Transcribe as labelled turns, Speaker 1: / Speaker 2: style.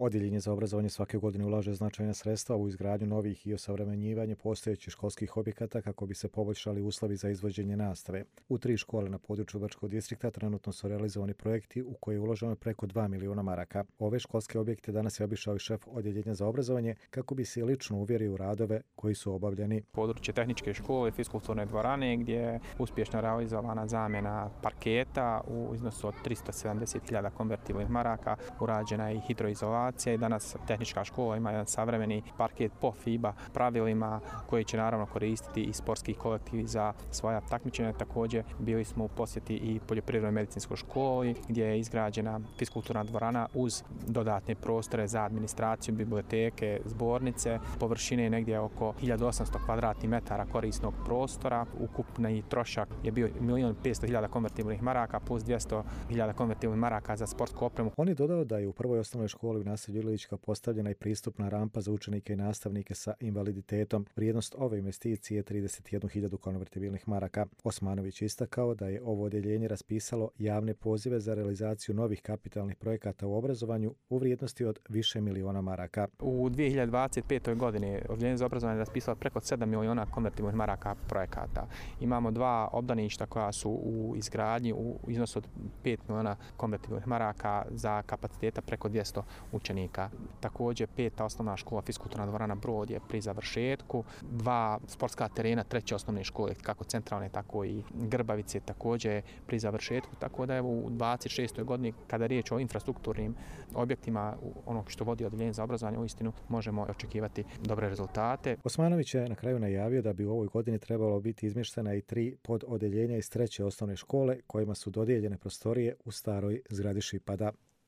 Speaker 1: Odjeljenje za obrazovanje svake godine ulaže značajna sredstva u izgradnju novih i osavremenjivanje postojećih školskih objekata kako bi se poboljšali uslovi za izvođenje nastave. U 3 škole na području Bačkog distrikta trenutno su realizovani projekti u koje je uloženo preko 2 miliona maraka. Ove školske objekte danas je obišao i šef Odjeljenja za obrazovanje kako bi se lično uvjerio u radove koji su obavljeni.
Speaker 2: Područje tehničke škole, fiskulturne dvorane gdje je uspješno realizovana zamjena parketa u iznosu od 370.000 konvertibilnih maraka, urađena je i hidroizolacija i danas tehnička škola ima jedan savremeni parket po FIBA pravilima koji će naravno koristiti i sportski kolektivi za svoja takmičenja. Također bili smo u posjeti i poljoprivrednoj medicinskoj školi gdje je izgrađena fiskulturna dvorana uz dodatne prostore za administraciju, biblioteke, zbornice. Površine je negdje oko 1800 kvadratnih metara korisnog prostora. Ukupni trošak je bio 1.500.000 konvertibilnih maraka plus 200.000 konvertibilnih maraka za sportsku opremu.
Speaker 1: On je dodao da je u prvoj osnovnoj školi u naselju Ilićka postavljena i pristupna rampa za učenike i nastavnike sa invaliditetom. Vrijednost ove investicije je 31.000 konvertibilnih maraka. Osmanović istakao da je ovo odjeljenje raspisalo javne pozive za realizaciju novih kapitalnih projekata u obrazovanju u vrijednosti od više miliona maraka.
Speaker 2: U 2025. godini Odjeljenje za obrazovanje je raspisalo preko 7 miliona konvertibilnih maraka projekata. Imamo 2 obdaništa koja su u izgradnji u iznosu od 5 miliona konvertibilnih maraka za kapaciteta preko 200 učenika. Također 5. osnovna škola fiskulturna dvorana Brod je pri završetku, 2 sportska terena 3. osnovne škole, kako centralne, tako i Grbavice, također pri završetku, tako da je u 26. godini, kada je riječ o infrastrukturnim objektima, ono što vodi Odjeljenje za obrazovanje, uistinu možemo očekivati dobre rezultate.
Speaker 1: Osmanović je na kraju najavio da bi u ovoj godini trebalo biti izmještena i 3 pododjeljenja iz 3. osnovne škole kojima su dodijeljene prostorije u staroj zgradi Šipada.